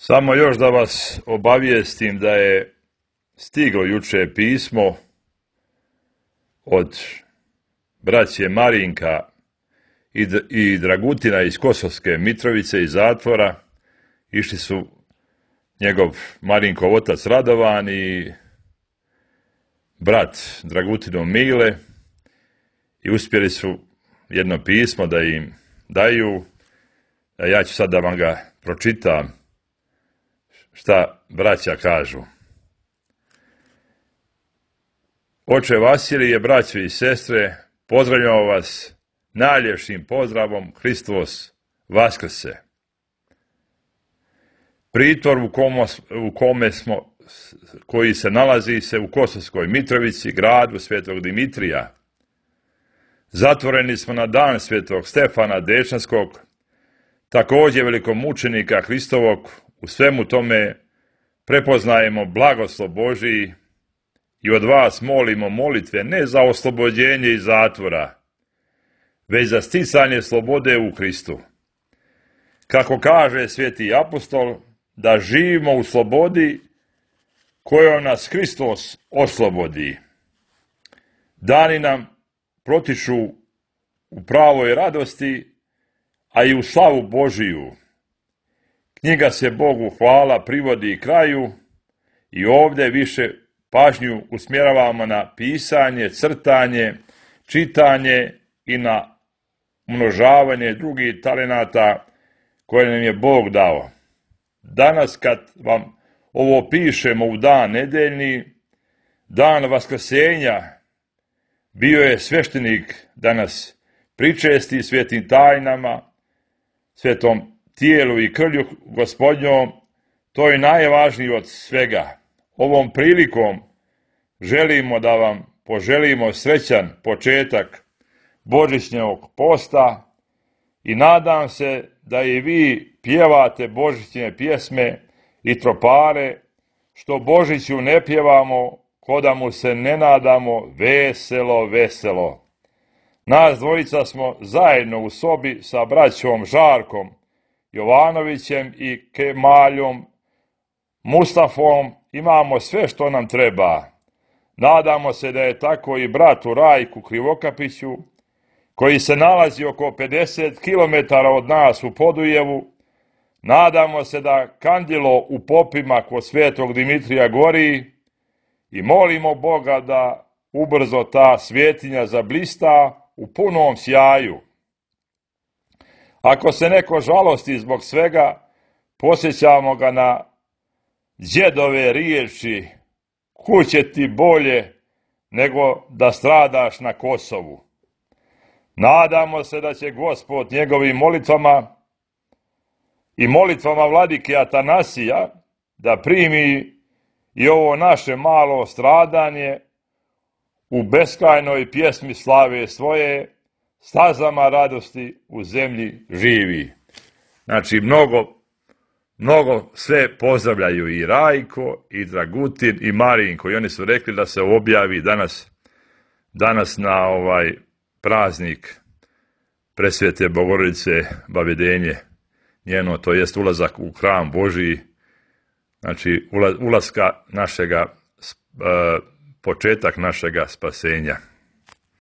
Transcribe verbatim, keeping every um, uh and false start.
Samo još da vas obavijestim da je stiglo juče pismo od braće Marinka i Dragutina iz Kosovske Mitrovice, iz zatvora. Išli su njegov Marinkov otac Radovan i brat Dragutinov Mile i uspjeli su jedno pismo da im daju. A ja ću sad da vam ga pročitam šta braća kažu. Oče Vasilije, braćo i sestre, pozdravljamo vas najljepšim pozdravom Hristos Vaskrse. Pritvor u kome, u kome smo, koji se nalazi se u Kosovskoj Mitrovici, gradu Svetog Dimitrija. Zatvoreni smo na dan Svetog Stefana Dečanskog, također velikomučenika Hristovog. U svemu tome prepoznajemo blagoslov Božiji i od vas molimo molitve ne za oslobođenje iz zatvora, već za sticanje slobode u Hristu. Kako kaže sveti apostol, da živimo u slobodi kojom nas Hristos oslobodi. Dani nam protiču u pravoj radosti, a i u slavu Božiju. Knjiga se Bogu hvala privodi kraju i ovdje više pažnju usmjeravamo na pisanje, crtanje, čitanje i na umnožavanje drugih talenata koje nam je Bog dao. Danas kad vam ovo pišemo u dan nedeljni, dan Vaskrsenja, bio je sveštenik da nas pričesti svetim tajnama, svetom tijelu i krvlju Gospodnjom. To je najvažnije od svega. Ovom prilikom želimo da vam poželimo srećan početak božićnog posta i nadam se da i vi pjevate božićne pjesme i tropare, što Božiću ne pjevamo, ko da mu se ne nadamo veselo, veselo. Nas dvojica smo zajedno u sobi sa braćom Žarkom Jovanovićem i Kemaljom Mustafom, imamo sve što nam treba. Nadamo se da je tako i bratu Rajku Krivokapiću, koji se nalazi oko pedeset kilometara od nas u Podujevu. Nadamo se da kandilo u popima kod Svetog Dimitrija gori i molimo Boga da ubrzo ta svjetinja zablista u punom sjaju. Ako se neko žalosti zbog svega, posjećamo ga na djedove riječi: kuće ti bolje nego da stradaš na Kosovu. Nadamo se da će Gospod njegovim molitvama i molitvama vladike Atanasija da primi i ovo naše malo stradanje u beskrajnoj pjesmi slave svoje, stazama radosti u zemlji živi. Znači, mnogo, mnogo sve pozdravljaju i Rajko, i Dragutin, i Marinko. I oni su rekli da se objavi danas, danas na ovaj praznik Presvete Bogorodice Bavedenje njeno, to jest ulazak u hram Božiji, znači ulazka našega, početak našega spasenja.